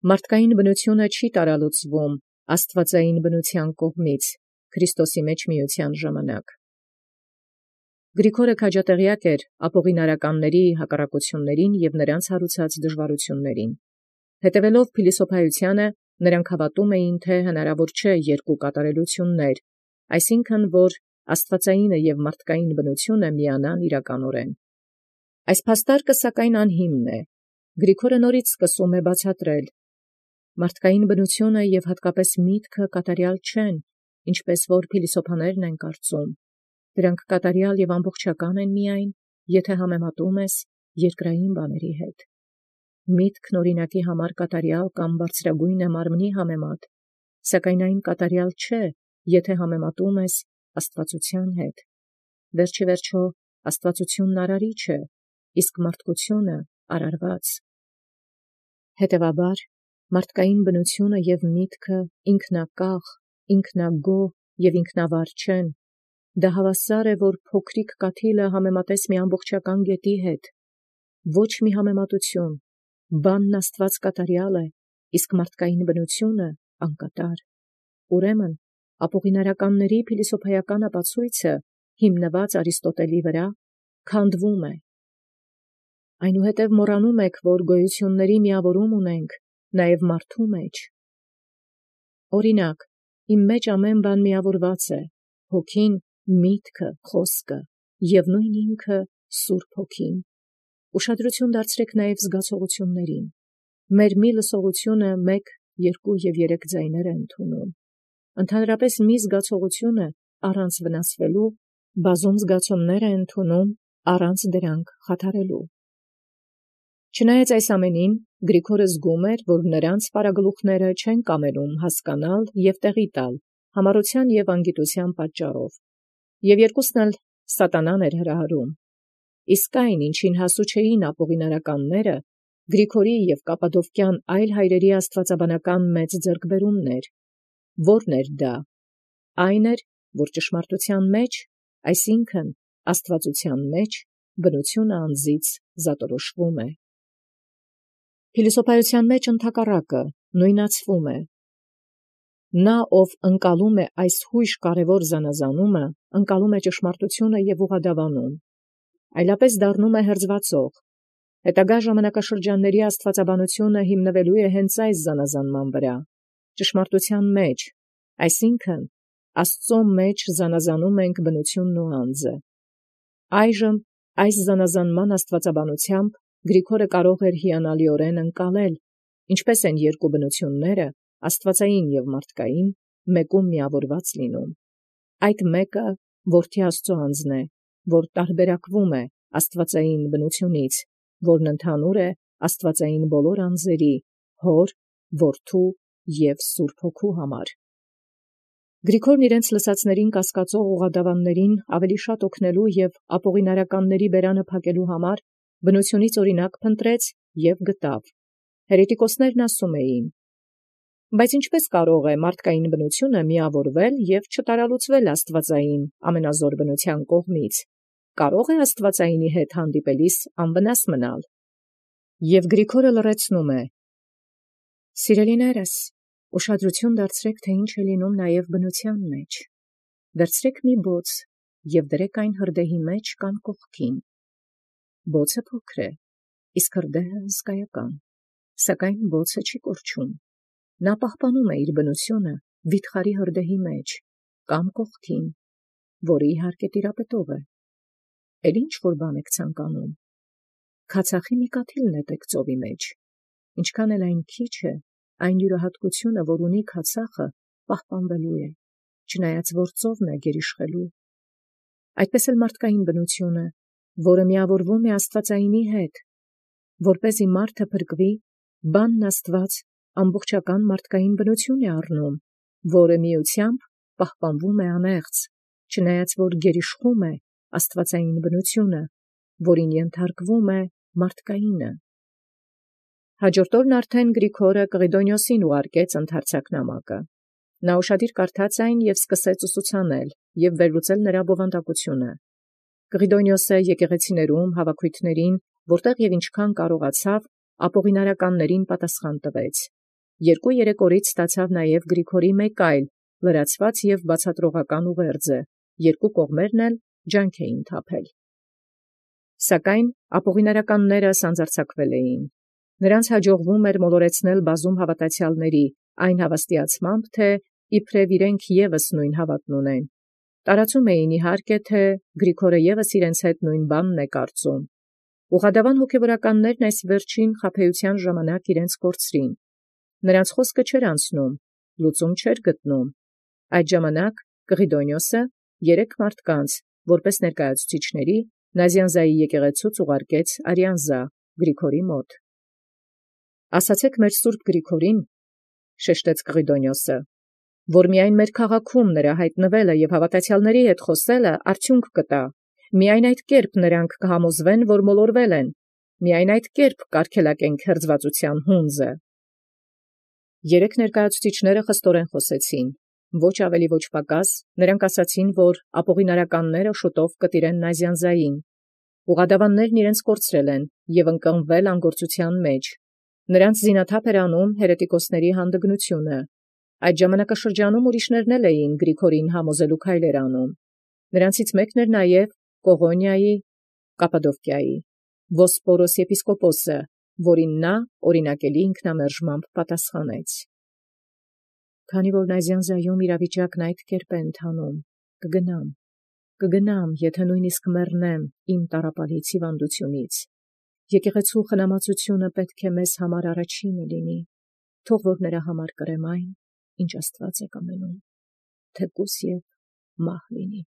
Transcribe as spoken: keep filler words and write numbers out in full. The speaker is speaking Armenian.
Մարդկային բնութիւնը չի տարալուծվում աստուածային բնութեան կողմից Քրիստոսի մեջ միութեան ժամանակ։ Գրիգորը քաջատեղեակ էր ապօղինարականների հակառակություններին և նրանց հարուցած դժվարություններին։ Հետևելով փիլիսոփայութեանը, նրանք հավատում էին, թէ հնարավոր չէ երկու կատարելութիւններ, այսինքն, որ աստուածայինը և մարդկային բնութիւնը միանան իրականորեն։ Այս փաստարկը սակայն անհիմն է։ Գրիգորը նորից սկսում է բացատրել. մարդկային բնութիւնը և հատկապես միտքը կատարյալ չեն, ինչպես որ փիլիսոփաներն են կարծում. դրանք կատարյալ և ամբողջական են միայն, եթե համեմատում ես երկրային բաների հետ։ Միտքն օրինակի համար կատարյալ կամ բարձրագույն է մարմնի համեմատ, սակայն այն կատարյալ չէ, եթե համեմատում ես աստուածութեան հետ։ Վերջ ի վերջո աստուածութիւնն արարիչ է, իսկ մարդկութիւնը արարված։ Հետևաբար, մարդկային բնութիւնը և միտքը ինքնակախ, ինքնագոհ և ինքնավար չեն։ Դա հավասար է, որ փոքրիկ կաթիլը համեմատես մի ամբողջական գետի հետ։ Ոչ մի համեմատութիւն, բանն աստուած կատարյալ է, իսկ մարդկային բնութիւնը անկատար։ Ուրեմն ապօղինարականների փիլիսոփայական ապացոյցը, հիմնված Արիստոտելի վրա, քանդվում է։ Այնուհետև մոռանում եք, որ գոյութիւնների միավորում ունենք նաև մարդու մեջ։ Օրինակ, իմ մեջ ամեն բան միավորված է, հոգին, միտքը, խոսքը և նույն ինքը Սուրբ Հոգին։ Ուշադրություն դարձրեք նաև զգացողություններին։ Մեր մի լսողությունը մեկ, երկու և երեք ձայներ է ընդունում։ Ընդհանրապես մի զգացողությունը առանց վնասվելու, բազում զգացումներ է ընդունում առանց դրանք խաթարելու։ Չնայած այս ամենին, Գրիգորը զգում էր, որ նրանց պարագլուխները չեն կամենում հասկանալ և տեղի տալ համառութեան և անգիտութեան պատճառով, և երկուսն էլ սատանան էր հրահրում։ Իսկ այն, ինչին հասու չէին ապօղինարականները, Գրիգորի և կապադովկյան այլ հայրերի աստուածաբանական մեծ ձեռքբերումն էր։ Ո՞րն էր դա։ Այն էր, որ ճշմարտութեան մեջ, այսինքն աստուածութեան մեջ, բնութիւնը անձից զատորոշվում է։ Փիլիսոփայութեան մեջ ընդհակառակը նոյնացվում է։ Նա, ով ընկալում է այս յոյժ կարևոր զանազանումը, ընկալում է ճշմարտութիւնը և ուղղադավանում, այլապես դառնում է հրձվածող։ Հետագա ժամանակաշրջանների աստուածաբանությունը հիմնվելու է հենց այս զանազանման վրա, ճշմարտութեան մեջ, այսինքն Աստուծոյ մեջ զանազանում ենք բնութիւնն ու անձը։ Այժմ այս զանազանման աստուածաբանութեամբ Գրիգորը կարող էր հիանալիորեն ընկալել, ինչպես են երկու բնութիւնները, աստուածային և մարդկային, մեկում միավորված լինում։ Այդ մեկը Որդի Աստուծոյ անձն է, որ տարբերակվում է աստուածային բնութիւնից, որն ընդհանուր է աստուածային բոլոր անձերի, Հոր, Որդու և Սուրբ Հոգու համար։ Գրիգորն իրենց լսածներին կասկածող ուղղադավաններին ավելի շատ օգնելու և ապօղինարականների բերանը փակելու համար բնութիւնից օրինակ փնտրեց և գտավ։ Հերետիկոսներն ասում էին. բայց ինչպե՞ս կարող է մարդկային բնութիւնը միավորվել և չտարալուծվել աստուածային ամենազոր բնութեան կողմից, կարո՞ղ է աստուածայինի հետ հանդիպելիս անվնաս մնալ։ Եւ Գրիգորը լռեցնում է. Սիրելիներս, ուշադրություն դարձրեք, թե ինչ է լինում նաև բնութեան մեջ։ Վերցրեք մի բոց և դրեք այն հրդեհի մեջ կամ կողքին։ Բոցը փոքր է, իսկ հրդեհը հսկայական, սակայն բոցը չի կորչում։ Նա պահպանում է իր բնութիւնը վիթխարի հրդեհի մեջ կամ կողքին, որը իհարկե տիրապետող է։ Էլ ինչ որ բան եք ցանկանում։ Քացախի մի կաթիլ նետեք ծովի մեջ, ինչքան էլ այն քիչ է, այն յուրահատկությունը, որ ունի քացախը, պահպանվելու է, չնայած որ ծովն է գերիշխելու։ Այդպես էլ մարդկային բնութիւնը, որը միավորվում է աստուածայինի հետ, որպեսզի մարդը փրկվի, բանն Աստված ամբողջական մարդկային բնութիւն է առնում, որը միությամբ պահպանվում է անեղծ, չնայած որ գերիշխում է աստուածային բնութիւնը, որին ենթարկվում է մարդկայինը։ Հաջորդ օրն արդեն Գրիգորը Կղիդոնիոսին ուղարկեց ընդարձակ նամակը։ Նա ուշադիր կարդաց այն և սկսեց ուսուցանել և վերլուծել նրա բովանդակությունը։ Կղիդոնիոսը եկեղեցիներում հավաքույթներին, որտեղ և ինչքան կարողացավ, ապօղինարականներին պատասխան տվեց Երկու երեք օրից ստացավ նաև Գրիգորի մեկ այլ լրացված և բացատրողական ուղերձը, երկու կողմերն էլ ջանք էին թափել։ Սակայն ապօղինարականները սանձարձակվել էին։ Նրանց հաջողվում էր մոլորեցնել բազում հավատացյալների այն հավաստիացմամբ, թե իբրև իրենք ևս նույն հավատն ունեն։ Տարածում էին իհարկե, թե Գրիգորը ևս իրենց հետ նույն բանն է կարծում։ Ուղղադավան հոգևորականներն այս վերջին խաբեության ժամանակ իրենց կորցրին։ Նրանց խոսքը չէր անցնում, լուծում չէր գտնում։ Այդ ժամանակ Կղիդոնիոսը երեք մարդկանց, որպես ներկայացուցիչների, Նազյանզայի եկեղեցուց ուղարկեց Արիանզա Գրիգորի մոտ։ «Ասացեք մեր սուրբ Գրիգորին, շեշտեց Կղիդոնիոսը, որ միայն մեր քաղաքում նրա հայտնվելը և հավատացյալների հետ խոսելը արդյունք կտա, միայն այդ կերպ նրանք կհամոզվեն, որ մոլորվել են, միայն այդ կերպ կարգելակենք հերձվածության հունձը»։ Երեք ներկայացուցիչները խստորեն խոսեցին, ոչ ավելի ոչ պակաս, նրանք ասացին, որ ապօղինարականները շուտով կտիրեն Նազյանզային։ Ուղղադավաններն իրենց կորցրել են և ընկղմվել անգործության մեջ։ Նրանց զինաթափ էր անում հերետիկոսների հանդգնությունը։ Այդ ժամանակաշրջանում ուրիշներն էլ էին Գրիգորին համոզելու քայլեր անում։ Նրանցից մեկն էր նաև Կողոնիայի Կապադովկիայի Վոսպորոս եպիսկոպոսը, որին նա օրինակելի ինքնամերժմամբ պատասխանեց. «Քանի որ Նազյանզայում իրավիճակն այդ կերպ է ընթանում, կգնամ, կգնամ, եթե նույնիսկ մեռնեմ իմ տառապալից հիվանդությունից։ Եկեղեցու խնամածությունը պետք է մեզ համար առաջինը լինի, թող որ նրա համար կրեմ այն, ինչ Աստված է կամենում, թեկուզ և մահ լինի»։